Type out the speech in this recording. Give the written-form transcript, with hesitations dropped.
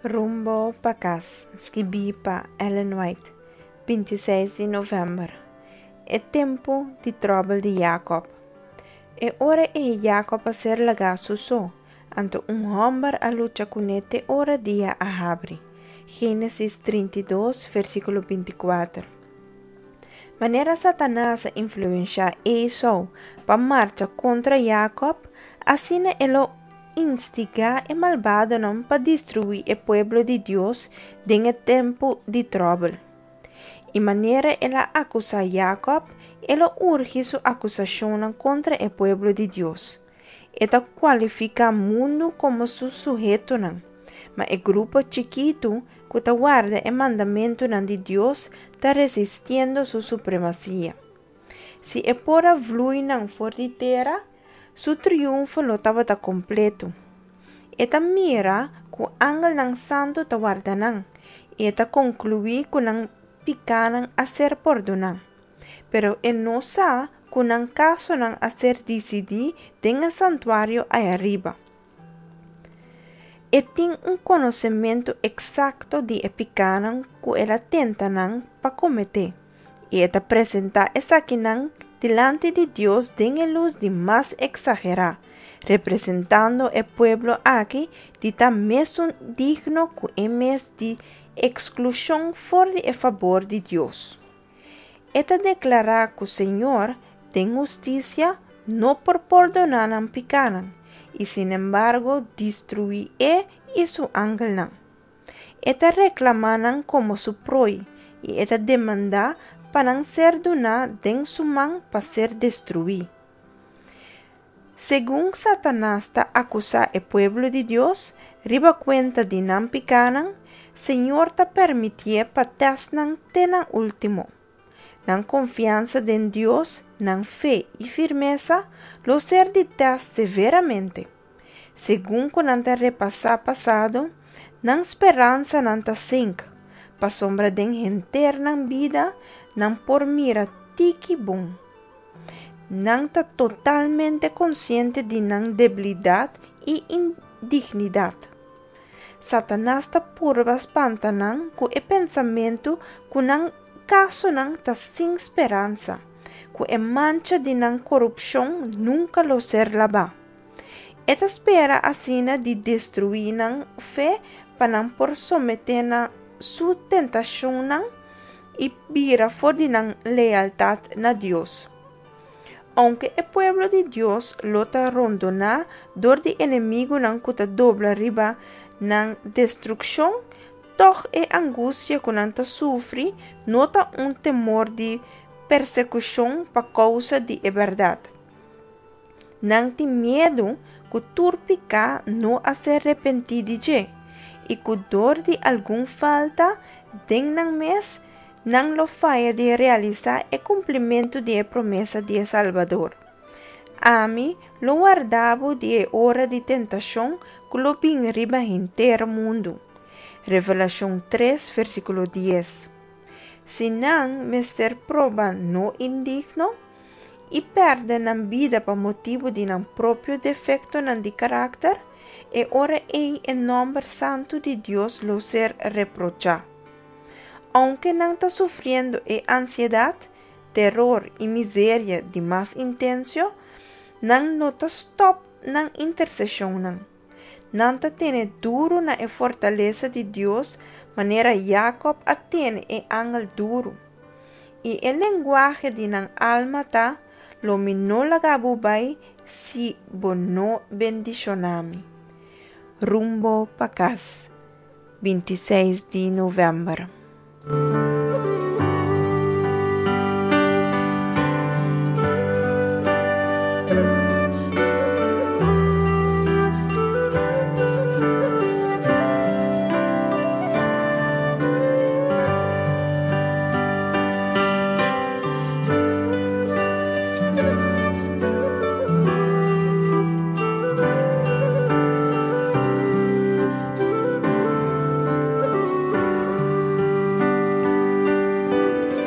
Rumbo pa kas, skibí pa Ellen White, 26 di novèmber. E tempu di tròbel di Jakòb. E ora ei Jakòb a ser lagá su so, anto un hòmber a lucha kuné te ora dia a habri. Génesis 32, versíkulo 24. Manera Satanas a influenshá Esou pa marcha kontra Jakòb, asina e lo instigá e malbadonan pa destruí e pueblo di Dios den e tempu di tròbel. I manera el a akusá Jakòb, e lo urgi su akusashonnan kontra e pueblo di Dios. E ta kualifiká mundu komo su suhetonan, ma e grupo chikitu ku ta warda e mandamentunan di Dios ta resistiendo su supremasia. Si e por a vlui nan for di tera, su triunfo lo tabata kompleto. E ta mira ku angelnan santu ta warda nan, i e ta konkluí ku nan pikánan a ser pordoná. Pero e no sa ku nan kasonan a ser disidí den e santuario ayariba. E tin un konosementu eksakto di e pikánan ku el a tenta nan pa kometé, i e ta presentá esakinan dilanti di Dios den e lus di mas eksagerá, representando e pueblo aki di ta mesun digno ku e mes di eksklushon for di e fabor di Dios. E ta deklará ku Señor, den hustisia, no por pordoná nan pikánan i sinembargo destruí e i su angelnan. E ta reklamá nan komo su proi i e ta demandá pa nan ser duná den su man pa ser destruí. Segun Satanas ta akusá e pueblo di Dios riba kuenta di nan pikánan, Señor ta permitié pa tèst nan te na último. Nan konfiansa den Dios, nan fe i firmesa lo ser di tèst severamente. Segun ku nan ta repasá pasado, nan speransanan ta sink, pasobra den henter nan bida nan por mira tiki bon. Nan ta totalmente konsiente di nan debilidat i indignidat. Satanas ta purba spanta nan ku e pensamentu ku nan kasonan ta sin speransa, ku e mancha di nan korupshon nunka lo ser labá. E ta spera asina di destruí nan fe pa nan por someté na su tentashonnan i bira for di nan lealtat na Dios. Ounke e pueblo di Dios lo ta rondoná dor di enemigunan ku ta dobla riba nan destrukshon, tòg e angustia ku nan ta sufri no ta un temor di persekushon pa kousa di e bèrdat. Nan tin miedu ku tur piká no a ser repentí di dje i ku dor di algun falta den nan mes, nan lo faya di realisá e kumplimentu di e promesa di e Salbador, Ami lo warda bo di e ora di tentashon ku lo bin riba henter mundu. Revelashon 3, versíkulo 10. Si nan mester proba no indigno, i pèrdè nan bida pa motibu di nan propio defektonan di karakter, e ora ei e nòmber santu di Dios lo ser reprochá. Ounke nan ta sufriendo e ansiedat, teror i miseria di mas intensio, nan no ta stòp nan interseshonnan. Nan ta tene duru na e fortalesa di Dios manera Jakòb a tene e angel duru. I e lenguahe di nan alma ta, Lo mi no laga bo bai si bo no bendishoná mi. Rumbo pa kas, 26 di novèmber.